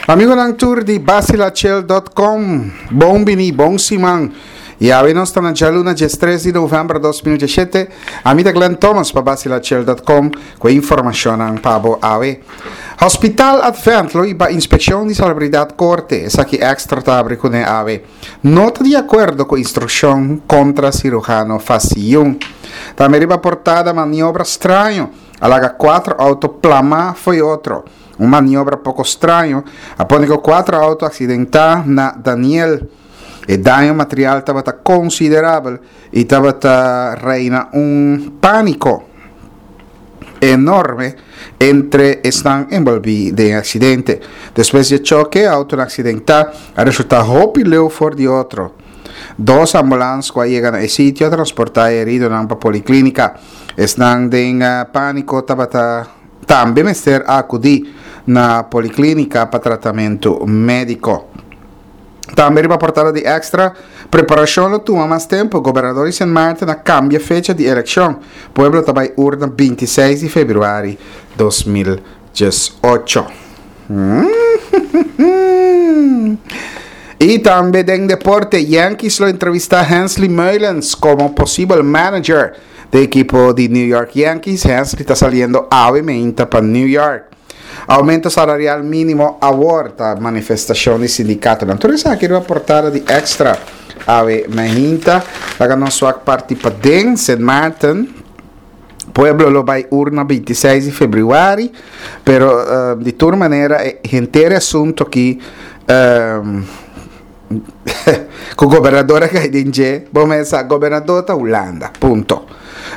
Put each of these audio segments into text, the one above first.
Amigonan tur di Bacilachel.com, bon bini, bon siman. Y awe nos ta na djaluna 13 di november 2017. Ami ta Glenn Thomas pa Bacilachel.com cu e informacionnan pa bo awe. Hospital Advent lo iba inspeccion di salubridad corte, esaki Extra ta abri cune awe. No ta di acuerdo cu instruccion contra cirujano Faciyun. Tambe riba portada maniobra straño a laga cuatro auto plama fo'i otro. Un maniobra poko straño a pone ku kuater outo aksidentá na Daniel. E daño material tabata konsiderabel i tabata reina un pániko enorme entre esnan enbolbí den e aksidente. Despues di e choke, e outonan aksidentá a resultá hopi leu for di otro. Dos ambulans ku a yega na e sitio a transportá e heridonan pa poliklínika. Esnan den pániko tabata. Tambe mester a akudí na poliklínika pa tratamentu médiko. Tambe riba portada di Extra, Preparashon lo tuma mas tempu, Gobernador di Sint Maarten a kambia fecha di elekshon, pueblo ta bai urna 26 di februari 2018. I tambe den deporte, Yankees lo entrevistá Hensley Meulens komo posibel manager. De ekipo di New York Yankees, Hensley ta saliendo awe meinta pa New York. Aumento salarial minimo awor ta manifestacion di sindicatonan. Tur esaki riba portada di Extra awe meinta. Laga nos wak parti paden, Sint Maarten. Pueblo lo bay urna 26 di februari, pero di tur manera e henter e asunto aki Ku gobernador a kai den dje, bo mes sa, gobernador ta Hulanda, punto.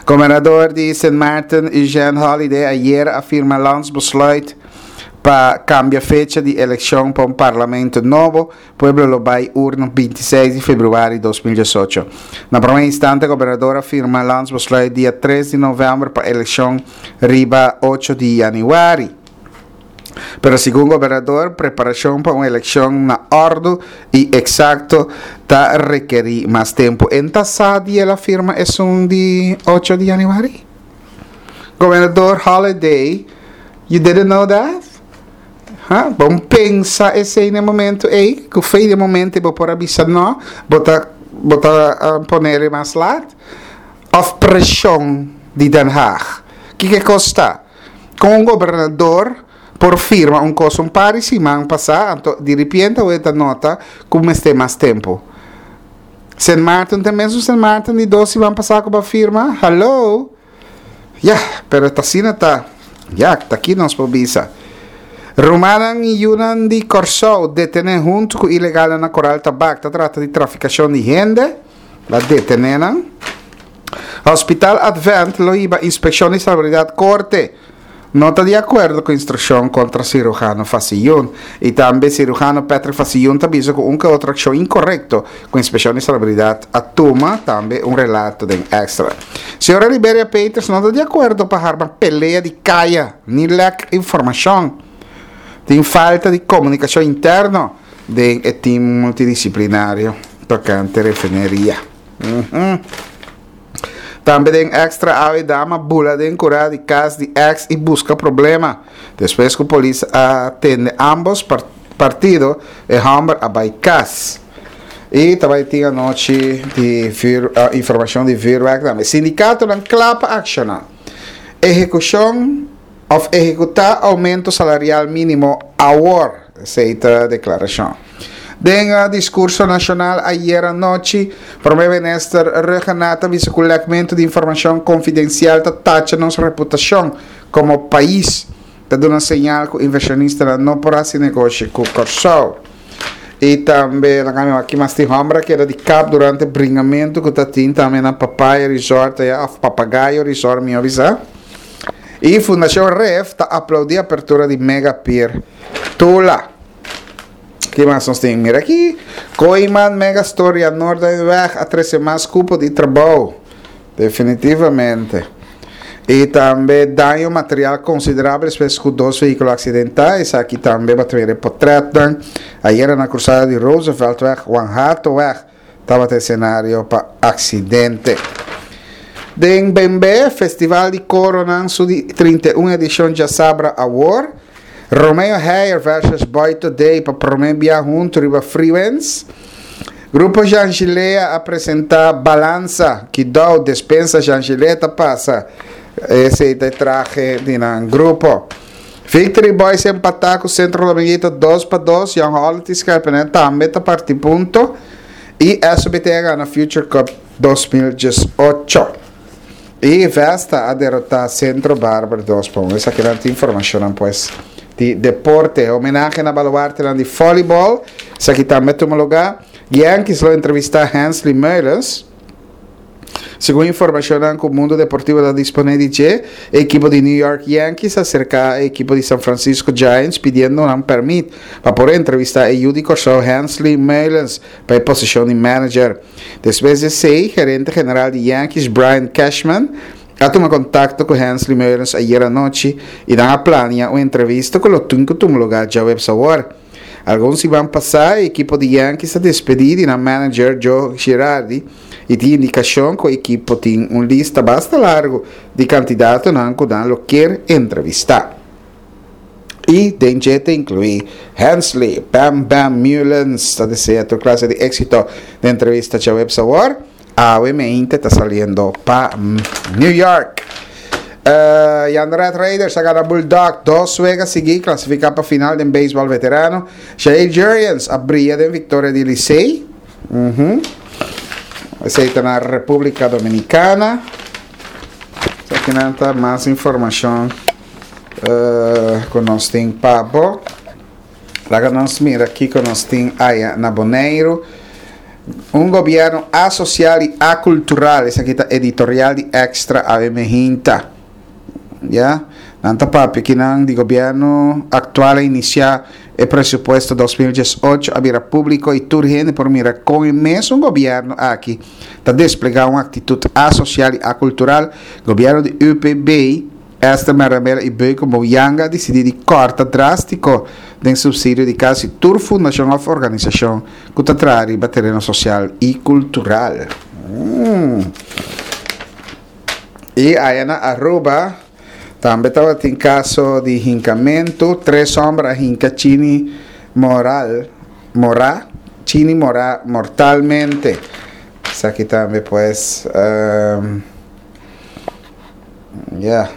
Gobernador di Sint Maarten, Eugène Holiday, ayer a firma landsbesluit pa kambia fecha di elekshon pa un parlamento nobo. Pueblo lo bai urna 26 di februari 2018. Na prome instante gobernador a firma landsbesluit dia 3 di novèmber pa elekshon riba 8 di yanüari. Pero segun gobernador, preparashon pa un elekshon na òrdu i eksakto ta rekerí mas tempu. En ta sa di el a firma esun di ocho di yanüari? Gobernador Holiday, you didn't know that? Ha? Bon pensa esei na e momento ei, ku fe di e momento bo por a bisa no, bo ta bo ta ponele mas lat? Òf preshon di Den Haag? Kiko e kos ta? Kon un gobernador por firma un kos un par di siman pasá anto diripiente awe ta nota ku mester mas tempu? Sint Maarten ta e mesun Sint Maarten di dos siman pasá ku bo a firma? Hallo! Ya, pero ta asina ta. Ya, ta ki nos por bisa. Rumannan i yunan di Kòrsou detené huntu ku ilegalnan na Koral Tabak ta trata di trafikashon di hende. La detené nan. Hospital Advent lo hiba Inspeccion di Salubridad Corte no ta di acuerdo cu instruccion contra cirujano Faciyun y tambe cirujano Patrick Faciyun ta bisa cu un ke otro accion incorrecto cu Inspeccion di Salubridad a tuma, tambe un relato den Extra. Señora Liberia Peters no ta di acuerdo pa harma pelea di caya ni lek informacion. Tin falta di comunicacion interno den e team multidisciplinario tocante refineria. Tambe den Extra awe dama bula den kura di kas di ex i buska problema. Despues ku polis a tende ambos partido e hòmber a bai kas. I ta bai tin anochi di informashon di vuurwerk tambe. Sindikatonan kla pa akshoná. Ehekushon òf ehekutá oumento salarial mínimo awor. Esei ta deklarashon. Den diskurso nashonal ayer anochi, Prome Minister Rhuggenaath a bisa ku lèkmentu di informashon konfidensial ta tacha nos reputashon komo pais, ta duna señal ku invershonistanan no por hasi negoshi ku Kòrsou. I tambe nan a aki mas tin hòmber a keda di kap durante bringamentu ku ta tin tambe na Papaya Resort aya òf Papagayo Resort mihó bisa. I Fundashon Ref ta aplaudí apertura di Mega Pier Tula. Ki mas nos tin? Mira aki. Kooiman Megastore ya Noorduinweg a trese mas kupo di trabou. Definitivamente. I tambe daño material konsiderabel despues ku dos vehíkulo aksidentá. Esaki tambe bo ta mira e potretnan. Ayera na krusada di Rooseveltweg, Juan Hatoweg tabata esenario pa aksidente. Den Bembe, Festival di Koronan su di 31 edishon djasabra awor. Romeo Heyer versus Boy Today pa promé bia huntu riba Freewinds. Grupo Jean Gilea a presentá Balansa, Kidou, Despensa Jean Gilea ta pasa. Esei ta e trahe di nan grupo. Victory Boys empatá ku Centro Dominguito 2-2. Young Holland i Scherpenheuvel tambe ta parti punto. I SBT a gana Future Cup 2018. I Vesta a derotá Centro Barber 2-1. Esakinan ta informashonnan pues di deporte. Homenahe na baluartenan di volleyball. Esaki tambe a tuma lugá. Yankees lo entrevistá Hensley Meulens. Segun informashonnan ku Mundo Deportivo ta disponé di dje, e ekipo di New York Yankees a aserká e ekipo di San Francisco Giants pidiendo nan pèrmit pa por entrevistá e yu di Kòrsou Hensley Meulens pa e posishon di manager. Despues di esei, gerente general di Yankees Brian Cashman a tuma kontakto ku Hensley Meulens ayer anochi i nan a plania un entrevista ku lo tin ku tuma lugá djaweps awor. Algun siman pasá e ekipo di Yankees a despedí di nan manager Joe Girardi i tin indikashon ku e ekipo tin un lista basta largu di kandidatonan ku nan lo kier entrevistá. I den dje ta inkluí Hensley Bam Bam Meulens. Ta desea tur klase di éksito den entrevista djaweps awor. Awe meinte ta saliendo pa New York. Uh, Jan Red Raiders a gana Bulldog dos wega sigui clasifica pa final den baseball veterano. Jair Jurrjens a brilla den victoria di Licey. Uh -huh. Esey ta na República Dominicana. Aquí ta mas informacion uh, cu nos tin pa bo. Laga nos mira kiko nos tin aya na Boneiru. Un gobièrnu asosial i akultural, esaki ta editorial di Extra awe mehinta. Ya, nan ta papia kinan di gobièrnu aktual a inisiá e presupuesto 2018 a bira públiko i tur hende por mira kon e mesun gobièrnu aki ta desplegá un aktitut asosial i akultural. Gobièrnu di UPB Esther Merlamela i Beuke Mouyanga a disidí di kòrta drástiko den supsidio di kasi tur fundashon òf organisashon ku ta traha riba tereno sosial i kultural. I aya na Aruba tambe tabatin kaso di hinkamentu, tres hòmber a hinka Chini Moral, Mora, Chini Mora mortalmente. Esaki tambe pues. Ya.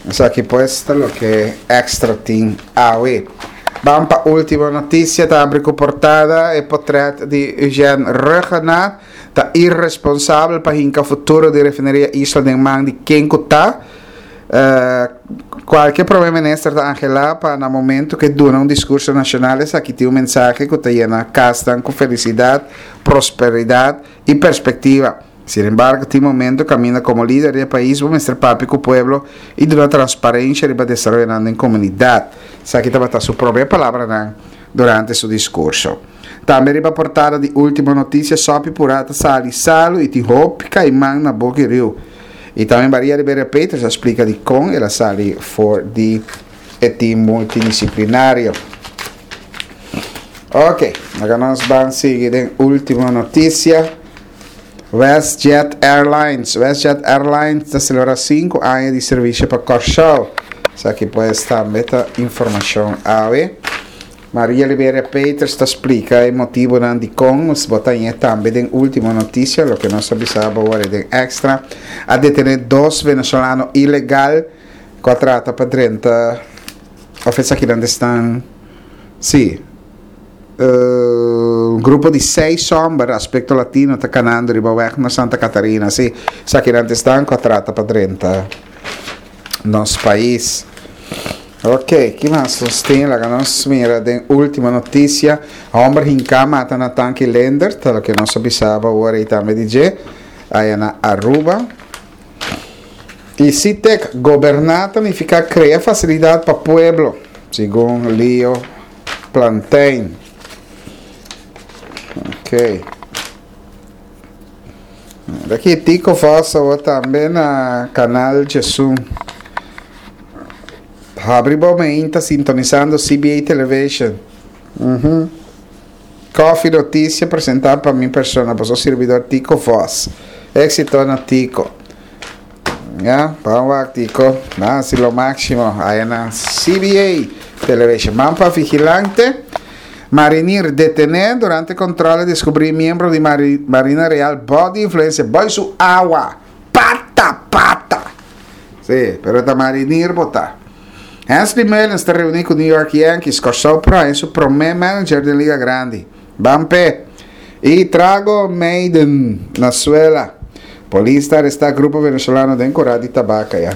Esaki pues ta loke Extra tin awe. Ban pa ultimo noticia ta abri cu portada e potret di Eugène Rhuggenaath ta irresponsabel pa hinca futuro di refineria Isla den man di ken cu ta. Uh, cualke prome minister ta angelá pa na momento cu e duna un discurso nacional esaki tin un mensahe cu ta yena casnan cu felicidad, prosperidad y perspectiva. Sin embargo, tin momento caminda como lider di e pais bo mester papia cu pueblo y duna transparencia riba desaroyonan den comunidad. Esaki tabata su prome palabranan durante su discurso. Tambe riba portada di Ultimo Noticia Sopi Pura ta sali salu y tin hopi caiman na boki riu. Y tambe Maria Rivera Peters a splica dicon el a sali for di e team multidisciplinario. Ok, laga nos ban sigui den ultimo noticia. WestJet Airlines. WestJet Airlines ta celebra 5 aña di servicio pa Kòrsou. Esaki pues tambe ta informacion awe. Maria Liberia Peters ta splica e motibonan dicon. Nos bo ta hañ'é tambe den ultimo noticia, loke nos a bisa bo awor den extra. A detene dos venezolano ilegal cu a trata pa drenta of esakinan ta esnan sí un grupo di seis homber aspecto latino ta canando riba weg na Santa Catarina sí esakinan ta esnan cu a trata pa drenta nos pais. Ok, ki mas nos tin? Laga nos mira den ultimo noticia. Homber hinca mata na tanki Leendert, ta loke nos a bisaba awor ei tambe di dje, aya na Aruba. I Sitek, goberná ta nifiká krea fasilidat pa pueblo, segun Leo Plantijn. Ok. Aki Tico Vos awor tambe na Kanal Djesun. Habri bo meinta sintonisando CBA Television. Mhm. Coffee Noticia presenta pa mi persona, boso sirbidor Tico Vos. Exito na Tico. Ya, ban wak Tico. Ban hasi lo máximo. Aya na CBA Television. Ban pa Vigilante. Marinir detené durante control a descubrí miembro di Marina Real bou di influencia boy su awa. Pata pata. Sí, pero ta marinir bo ta. Hensley Meulens ta reuní ku New York Yankees. Kòrsou por haña su promé manager den Liga Grandi. Ban p'e. I trago meiden na suela. Polis ta arestá grupo venezolano den kurá di tabaka ya.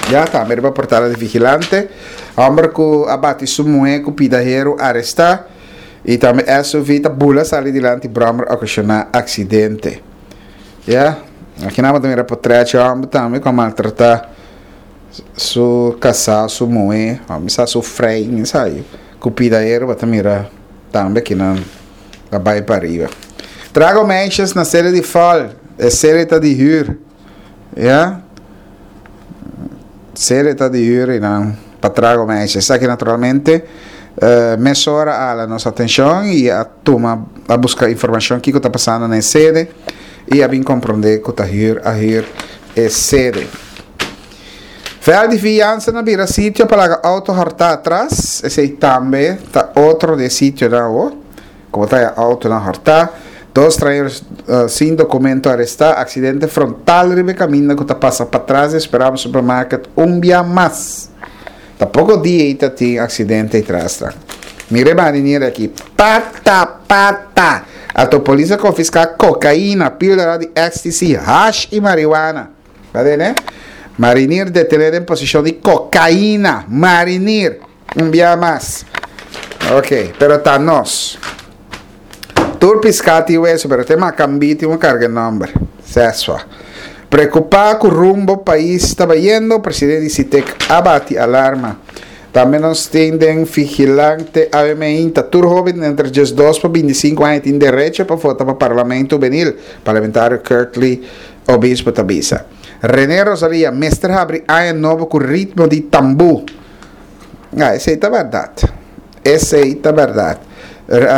Ya tambe riba portada di Vigilante. Hòmber ku a bati su muhé ku pida heru arestá. I tambe SUV ta bula sali dilanti bròmer okashoná aksidente. Ya, aki nan bo ta mira potrèt dje hòmber tambe ku a maltratá su kasá, su muhé, òf mi sa su frei, mi sa yu. Ku pida heru bo ta mira tambe aki nan ta bai pa ariba. Trago meisjes na sede di fòl, e sede ta di hür. Ya, sede ta di hür i nan pa trago meisjes. Esaki naturalmente mesora a hala nos atenshon i a tuma a buska informashon kiko ta pasando na e sede i a bin komprondé ku ta hür a hür e sede. Vèl di fiansa na bira sitio pa laga outo hòrtá atras, esei tambe ta otro di e sitionan awor, ku bo ta haña outonan hòrtá. Dos strañero sin dokumento arestá, aksidente frontal riba e kaminda ku ta pasa patras di Esperamos Supermarket un bia mas. Ta poko dia ei ta tin aksidente ei tras nan. Mira e marinero aki, pata pata! Ato polis a konfiská kokaina, píldora di ecstasy, hash i mariwana. Ta tene? Marinir detené den posishon di kokaina. Marinir! Un bia mas. Ok, pero ta nos. Tur piská tin weso, pero te makambí tin un karga nòmber. Seswa. Preokupá ku rumbo pais ta bayendo, presidente di Sitek a bati alarma. Tambe nos tin den Vigilante AWMI ta tur hóben entre 12 pa 25 aña tin derecho pa vota pa Parlamento Hubenil, parlamentario Curtley Obispo ta bisa. René Rosalia mester habri aña nobo ku ritmo di tambú. Ah, esei ta bèrdat. Esei ta bèrdat.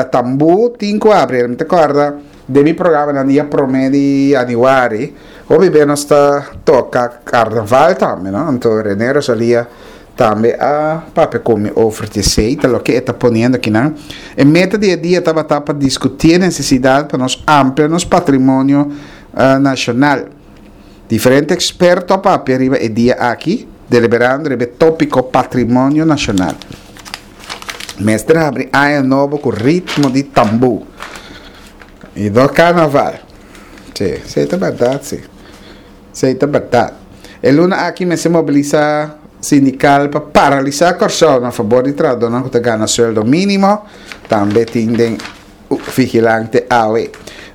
Tambú tin ku habri. Mi ta kòrda den mi programanan dia promé di yanüari, hopi be nos ta toka karnaval tambe, no? Anto René Rosalia tambe a papia ku mi over di esei, ta loke e ta poniendo akinan. E meta di e dia tabata pa diskutí e nesesidat pa nos amplia nos patrimonio nashonal. Diferente eksperto a papia riba e dia aki, deliberando riba e tópiko Patrimonio Nashonal. Mester habri aña nobo ku ritmo di tambú i no karnaval. Sí, esei ta bèrdat sí. Esei ta bèrdat. E luna aki mester mobilisá sindikal pa paralisá Kòrsou na fabor di trahadónan ku ta gana sueldo mínimo. Tambe tin den Vigilante awe.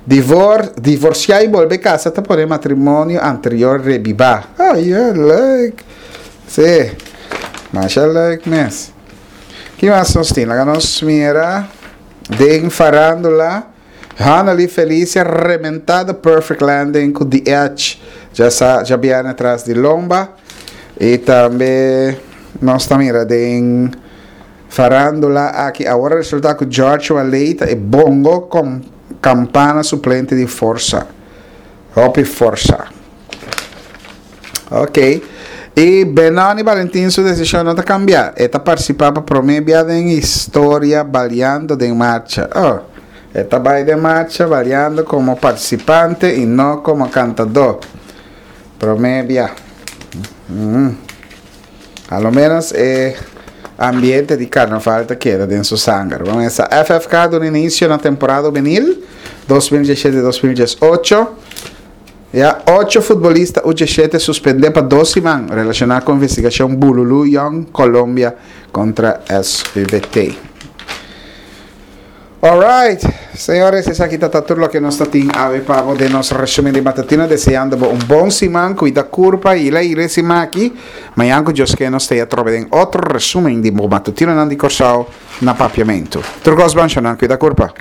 Divor, divorciá y bolbe casa ta pone matrimonio anterior rebibá. Ay, ya, leuk. Sí, masha leuk mes. Ki mas nos tin? Laga nos mira den farándula. Hanneli Felicia rementá The Perfect Landing ku The Edge. Ya sa, ya bierne tras di lomba. Y tambe nos ta mira den Farándula aki awor a resultá ku George Waley ta e bongo kom kampana suplente di Forsa. Hopi forsa. Ok. I Benoni Valentin su desishon no ta kambiá. E ta partisipá pa promé bia den historia baliando den marcha. Oh, e ta bai den marcha baliando komo partisipante i no komo kantadó. Promé bia. Mm. A lo menos e ambiente di carnaval ta keda den su sanger. Bon, esa FFK duna inicio na temporada juvenil 2017-2018. Ya ocho futbolista U17 suspende pa dos siman relaciona cu investigacion Bululu Young Colombia contra SUBT. Alright, señores, esaki ta ta tur loke nos ta tin awe pa bo den nos resumen di matutina, deseando bo un bon siman, cuida curpa y la ire siman aki. Mañan cu Dios ke nos ta atrobe den otro resumen di bo matutinonan di Corsou na Papiamento. Tur cos bon, shonnan, cuida curpa.